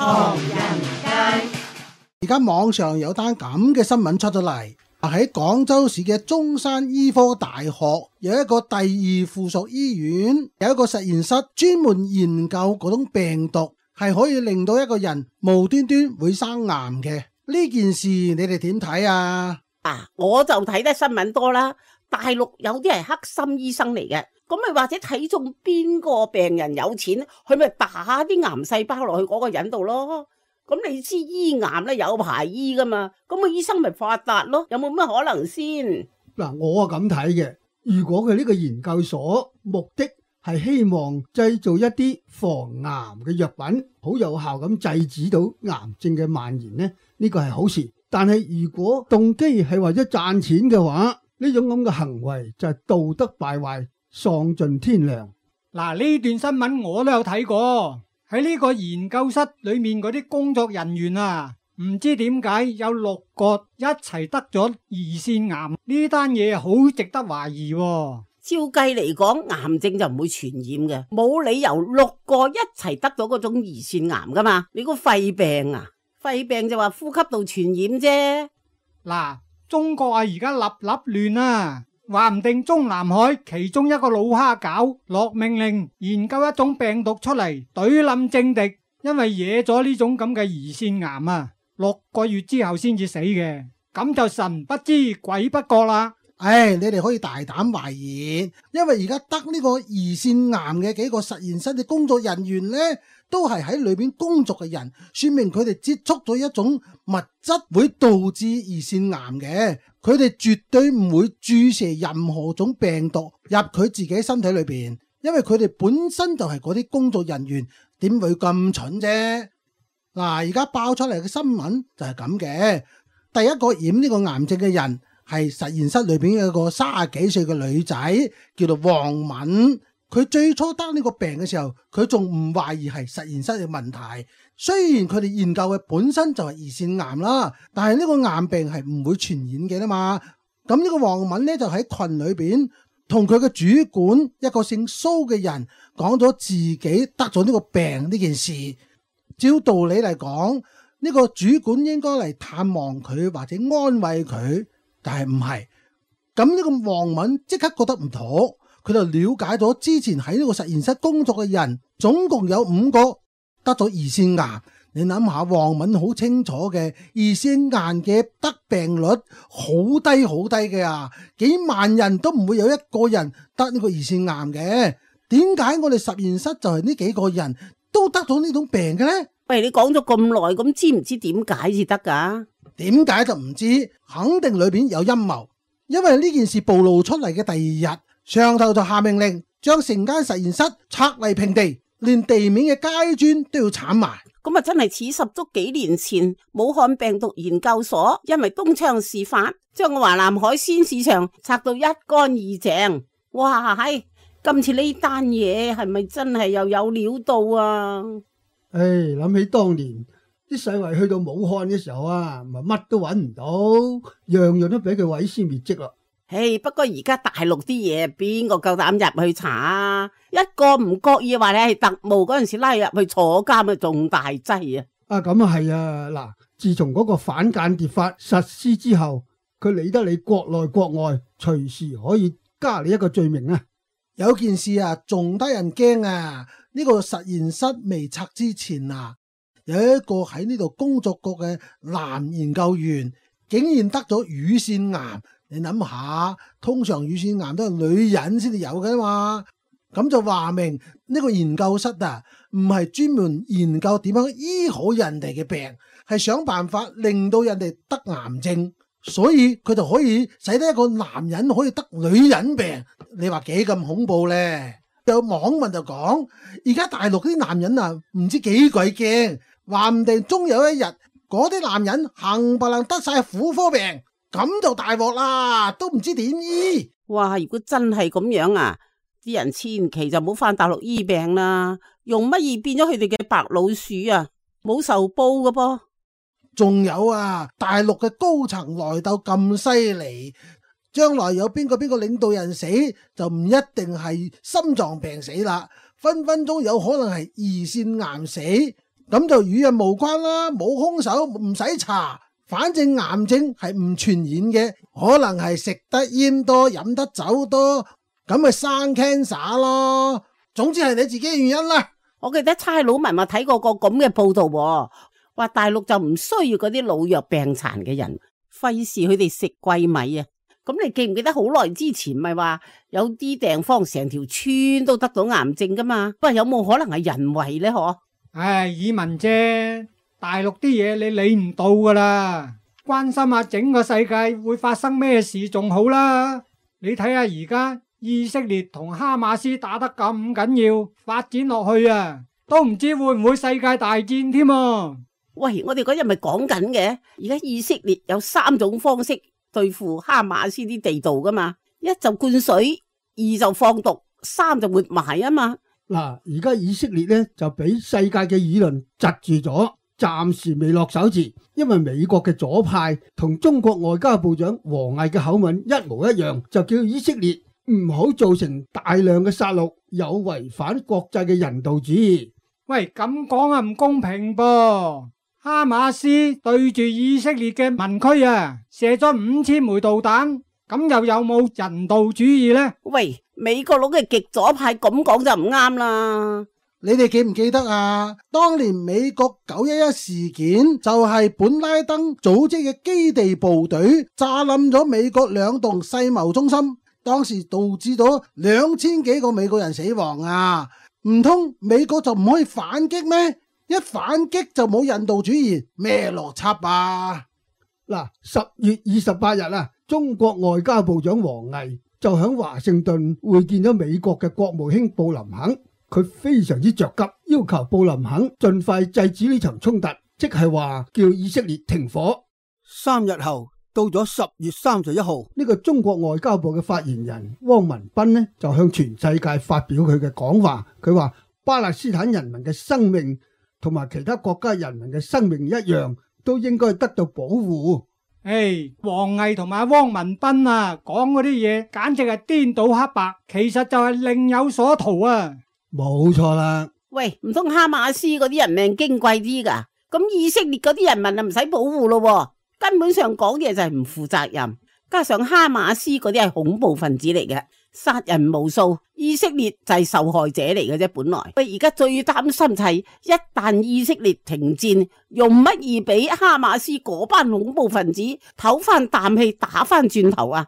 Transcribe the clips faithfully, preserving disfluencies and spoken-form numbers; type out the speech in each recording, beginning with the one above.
唐人街。而家網上有單咁嘅新聞出咗嚟，喺廣州市嘅中山醫科大學有一個第二附屬醫院，有一個實驗室專門研究嗰種病毒係可以令到一個人無端端會生癌嘅。呢件事你哋點睇啊？啊，我就睇得新聞多啦。大陸有啲係黑心醫生嚟嘅，咁咪或者睇中邊個病人有錢，佢咪打啲癌細胞落去嗰個人度咯。咁你知醫癌咧有排醫噶嘛，咁個醫生咪發達咯，有冇咩可能先？嗱，我啊咁睇嘅，如果佢呢個研究所目的係希望製造一啲防癌嘅藥品，好有效咁制止到癌症嘅蔓延呢，呢個係好事。但係如果動機係為咗賺錢嘅話，呢種咁嘅行為就係道德敗壞，喪盡天良。嗱，呢段新聞我都有睇過。喺呢個研究室裏面嗰啲工作人員啊，唔知點解有六個一齊得咗胰腺癌，呢單嘢好值得懷疑喎。照計嚟講，癌症就唔會傳染嘅，冇理由六個一齊得咗嗰種胰腺癌噶嘛。你個肺病啊，肺病就話呼吸道傳染啫。嗱，中國啊而家立立亂啊，話唔定中南海其中一個老蝦餃落命令研究一種病毒出嚟懟冧政敵，因為惹咗呢種咁嘅胰腺癌啊，六個月之後先至死嘅，咁就神不知鬼不覺啦。唉，你哋可以大膽懷疑，因為而家得呢個胰腺癌嘅幾個實驗室嘅工作人員呢，都係喺裏邊工作嘅人，說明佢哋接觸咗一種物質會導致胰腺癌嘅，佢哋絕對唔會注射任何種病毒入佢自己身體裏邊，因為佢哋本身就係嗰啲工作人員，點會咁蠢啫？嗱，而家爆出嚟嘅新聞就係咁嘅，第一個染呢個癌症嘅人係實驗室裏邊有一個三十幾歲嘅女仔，叫做黃敏。佢最初得呢個病嘅時候，佢仲唔懷疑係實驗室嘅問題。雖然佢哋研究嘅本身就係胰腺癌啦，但係呢個癌病係唔會傳染嘅啦嘛。咁呢個黃敏呢，就喺群裏邊同佢嘅主管一個姓蘇嘅人講咗自己得咗呢個病呢件事。照道理嚟講，呢個主管應該嚟探望佢或者安慰佢。但係唔係，咁呢個黃敏即刻覺得唔妥，佢就了解咗之前喺呢個實驗室工作嘅人，總共有五個得咗胰腺癌。你諗下，黃敏好清楚嘅，胰腺癌嘅得病率好低好低嘅啊，幾萬人都唔會有一個人得呢個胰腺癌嘅。點解我哋實驗室就係呢幾個人都得咗呢種病嘅呢？喂，你講咗咁耐，咁知唔知點解至得噶？點解就唔知，肯定裏邊有陰謀。因為呢件事暴露出嚟嘅第二日，上頭就下命令將成間實驗室拆為平地，連地面嘅階磚都要鏟埋。咁啊，真係似十足幾年前武漢病毒研究所因為東窗事發，將個華南海鮮市場拆到一乾二淨。哇，係今次呢單嘢係咪真係又有料到啊？唉，諗起當年啲世衛去到武漢嘅時候啊，咪乜都揾唔到，樣樣都俾佢毀屍滅跡啦。唉，不過而家大陸啲嘢邊個夠膽入去查啊？一個唔覺意話你係特務嗰陣時拉入去坐監啊，仲大劑啊！啊，咁啊係啊，嗱，自從嗰個反間諜法實施之後，佢理得你國內國外，隨時可以加你一個罪名啊！有件事啊，仲得人驚啊！呢個實驗室未拆之前啊，有一個喺呢度工作過嘅男研究員，竟然得咗乳腺癌。你諗下，通常乳腺癌都係女人先至有嘅嘛，咁就話明呢個研究室啊，唔係專門研究點樣醫好人哋嘅病，係想辦法令到人哋得癌症，所以佢就可以使得一個男人可以得女人病。你話幾咁恐怖呢？有網民就講，而家大陸啲男人啊，唔知幾鬼驚，話唔定終有一日嗰啲男人冚唪唥得晒婦科病。咁就大鑊啦，都唔知點醫。哇！如果真係咁樣啊，啲人千祈就唔好返大陸醫病啦，用乜嘢變咗佢哋嘅白老鼠啊，冇仇報噶噃。仲有啊，大陸嘅高層內鬥咁犀利，將來有邊個邊個領導人死，就唔一定係心臟病死啦，分分鐘有可能係胰腺癌死。咁就與人無關啦，冇兇手唔使查，反正癌症係唔傳染嘅，可能係食得煙多飲得酒多，咁咪生 cancer 咯。總之係你自己嘅原因啦。我記得差佬文話睇過個咁嘅報道，話大陸就唔需要嗰啲老弱病殘嘅人，費事佢哋食貴米啊。咁你記唔記得好耐之前咪話有啲地方成條村都得到癌症噶嘛？喂，有冇可能係人為呢？嗬？唉，以文啫，大陸啲嘢你理唔到噶啦，關心下整個世界會發生咩事仲好啦。你睇下而家以色列同哈馬斯打得咁緊要，發展落去啊，都唔知會唔會世界大戰添啊！喂，我哋嗰日咪講緊嘅，而家以色列有三種方式對付哈馬斯啲地道噶嘛，一就灌水，二就放毒，三就活埋啊嘛。嗱，而家以色列咧就俾世界嘅輿論窒住咗，暫時未落手字，因為美國嘅左派同中國外交部長王毅嘅口吻一模一樣，就叫以色列唔好造成大量嘅殺戮，有違反國際嘅人道主義。喂，咁講啊唔公平噃！哈馬斯對住以色列嘅民區啊，射咗五千枚導彈，咁又有冇人道主義呢？喂，美國佬嘅極左派咁講就唔啱啦。你哋記唔記得啊？當年美國九一一事件就係本拉登組織嘅基地部隊炸冧咗美國兩棟世貿中心，當時導致咗兩千幾個美國人死亡啊！唔通美國就唔可以反擊咩？一反擊就冇人道主義，咩邏輯啊？嗱，十月二十八日啊，中國外交部長王毅就響華盛頓會見咗美國嘅國務卿布林肯，佢非常之着急，要求布林肯盡快制止呢場衝突，即係話叫以色列停火。三日後，到咗十月三十一號，呢個中國外交部嘅發言人汪文斌呢，就向全世界發表佢嘅講話，佢話巴勒斯坦人民嘅生命同埋其他國家人民嘅生命一樣，都應該得到保護。誒，王毅同埋汪文斌啊，講嗰啲嘢簡直係顛倒黑白，其實就係另有所圖啊！冇錯啦。喂，唔通哈馬斯嗰啲人命矜貴啲噶？咁以色列嗰啲人民就唔使保護咯，根本上講嘢就係唔負責任。加上哈馬斯嗰啲係恐怖分子嚟嘅，殺人無數，以色列就係受害者嚟嘅啫。本來喂，而家最擔心就係一旦以色列停戰，用乜嘢俾哈馬斯嗰班恐怖分子唞翻啖氣，打翻轉頭啊！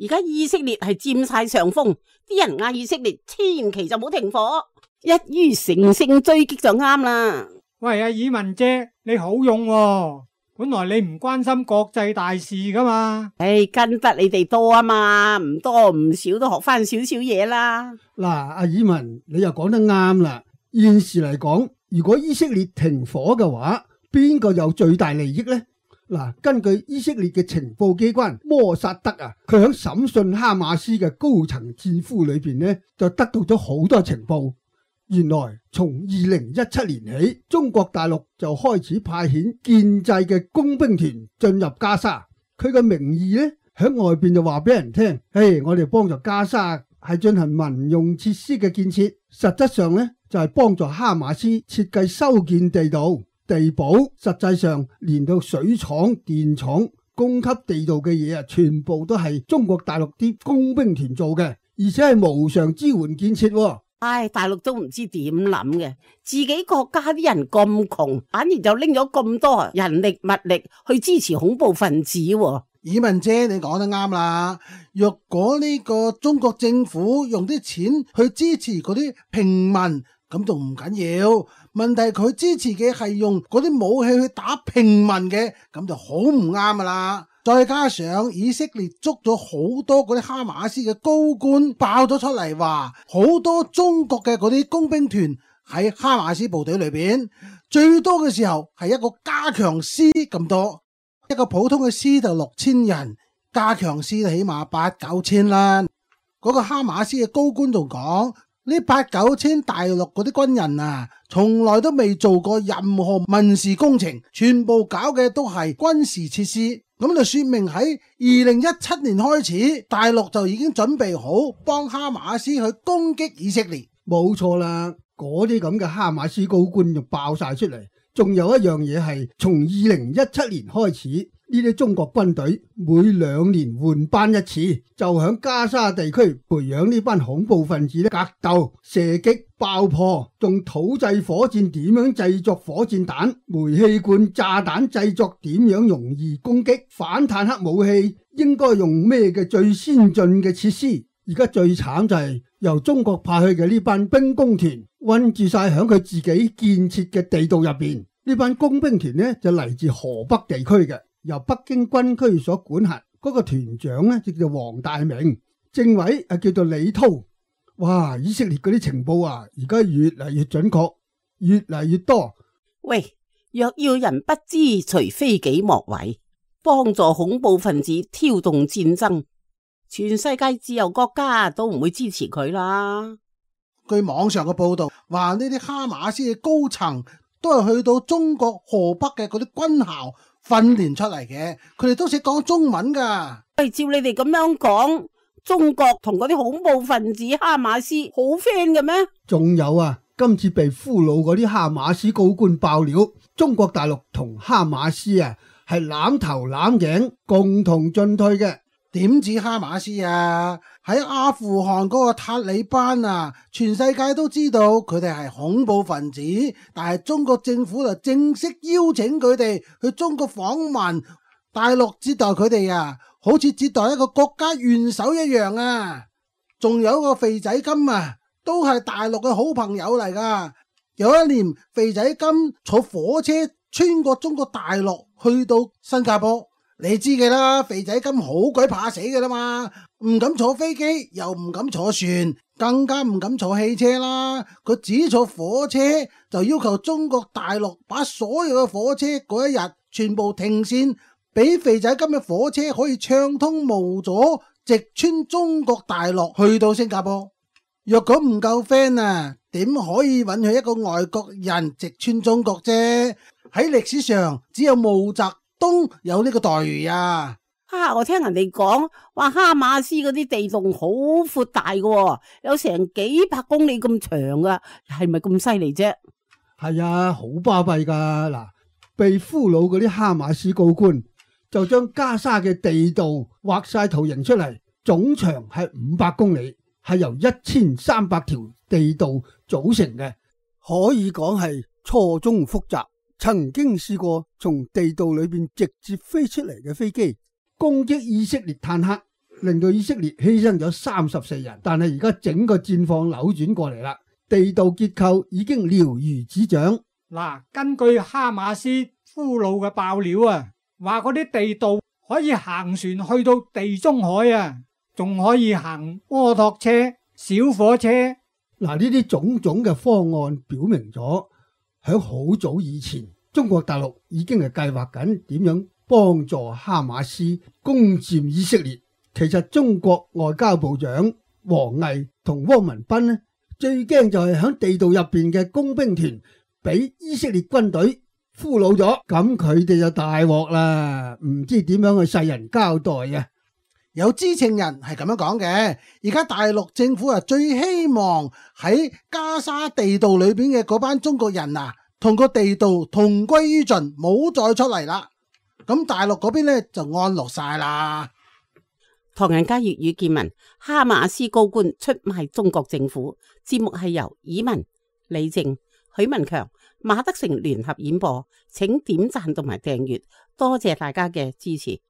而家以色列係佔晒上風，啲人嗌以色列千祈就冇停火，一於乘勝追擊就啱啦。喂，阿以文姐，你好用喎。本來你唔關心國際大事噶嘛？唉，跟得你哋多啊嘛，唔多唔少都學翻少少嘢啦。嗱，阿以文，你又講得啱啦。現時嚟講，如果以色列停火嘅話，邊個有最大利益呢？嗱，根據以色列嘅情報機關摩薩德啊，佢喺審訊哈馬斯嘅高層戰俘裏邊呢，就得到咗好多情報。原來從二零一七年起，中國大陸就開始派遣建制嘅工兵團進入加沙。佢嘅名義呢，喺外邊就話俾人聽，嘿，我哋幫助加沙係進行民用設施嘅建設，實質上呢，就係幫助哈馬斯設計修建地道、地堡。實際上連到水廠、電廠、供給地道嘅嘢啊，全部都係中國大陸啲工兵團做嘅，而且係無償支援建設。唉，大陸都唔知點諗嘅，自己國家啲人咁窮，反而就拎咗咁多人力物力去支持恐怖分子。以文姐，你講得啱啦。若果呢個中國政府用啲錢去支持嗰啲平民，咁就唔緊要。問題佢支持嘅係用嗰啲武器去打平民嘅，咁就好唔啱噶啦。再加上以色列捉咗好多嗰啲哈馬斯嘅高官爆咗出嚟，話好多中國嘅嗰啲工兵團喺哈馬斯部隊裏邊，最多嘅時候係一個加強師咁多，一個普通嘅師就六千人，加強師就起碼八九千啦。嗰個哈馬斯嘅高官仲講，呢八九千大陸嗰啲軍人啊，從來都未做過任何民事工程，全部搞嘅都係軍事設施。咁就說明喺二零一七年開始，大陸就已經準備好幫哈馬斯去攻擊以色列。冇錯啦，嗰啲咁嘅哈馬斯高官就爆晒出嚟。仲有一樣嘢係從二零一七年開始，呢啲中國軍隊每兩年換班一次，就響加沙地區培養呢班恐怖分子咧，格鬥、射擊、爆破，仲土製火箭點樣製作火箭彈、煤氣罐炸彈製作點樣容易攻擊、反坦克武器應該用咩嘅最先進嘅設施。而家最慘就係由中國派去嘅呢班兵工團困住晒響佢自己建設嘅地道入邊。呢班工兵團呢就嚟自河北地區嘅，由北京軍區所管轄。嗰個團長呢就叫黃大明，政委啊叫做李濤。哇！以色列嗰啲情報啊，而家越嚟越準確，越嚟越多。喂，若要人不知，除非己莫為，幫助恐怖分子挑動戰爭，全世界自由國家都唔會支持佢啦。據網上嘅報道，話呢啲哈馬斯嘅高層都係去到中國河北嘅嗰啲軍校訓練出嚟嘅，佢哋都識講中文噶。喂，照你哋咁樣講，中國同嗰啲恐怖分子哈馬斯好 friend 嘅咩？仲有啊，今次被俘虜嗰啲哈馬斯高官爆料，中國大陸同哈馬斯啊係攬頭攬頸，共同進退嘅。點止哈馬斯啊，喺阿富汗嗰個塔利班啊，全世界都知道佢哋係恐怖分子，但係中國政府就正式邀請佢哋去中國訪問，大陸接待佢哋啊，好似接待一個國家元首一樣啊。仲有個肥仔金啊，都係大陸嘅好朋友嚟噶。有一年肥仔金坐火車穿過中國大陸去到新加坡。你知嘅啦，肥仔金好鬼怕死嘅啦嘛，唔敢坐飛機，又唔敢坐船，更加唔敢坐汽車啦。佢只坐火車，就要求中國大陸把所有嘅火車嗰一日全部停線，俾肥仔金嘅火車可以暢通無阻，直穿中國大陸去到新加坡。若果唔夠 friend 啊，點可以允許一個外國人直穿中國啫？喺歷史上只有毛澤東有呢個待遇啊！啊，我聽人哋講話哈馬斯嗰啲地洞好闊大嘅，有成幾百公里咁長噶，係咪咁犀利啫？係啊，好巴閉噶。嗱，被俘虜嗰啲哈馬斯高官就將加沙嘅地道畫晒圖形出嚟，總長係五百公里，係由一千三百條地道組成嘅，可以講係錯綜複雜。曾經試過從地道裏邊直接飛出嚟嘅飛機攻擊以色列坦克，令到以色列犧牲咗三十四人。但係而家整個戰況扭轉過嚟啦，地道結構已經了如指掌。嗱，根據哈馬斯俘虜嘅爆料啊，話嗰啲地道可以行船去到地中海啊，仲可以行摩托車、小火車。嗱，呢啲種種嘅方案表明咗，喺好早以前，中國大陸已經係計劃緊點樣幫助哈馬斯攻佔以色列。其實中國外交部長王毅同汪文斌呢，最驚就係喺地道入邊嘅工兵團俾以色列軍隊俘虜咗，咁佢哋就大鑊啦，唔知點樣去世人交代啊！有知情人係咁樣講嘅，而家大陸政府啊最希望喺加沙地道裏邊嘅嗰班中國人啊，同個地道同歸於盡，冇再出嚟啦。咁大陸嗰邊呢就安樂晒啦。唐人街粵語見聞，哈馬斯高官出賣中國政府。節目係由以文、李靜、許文強、馬德成聯合演播，請點讚同埋訂閱，多謝大家嘅支持。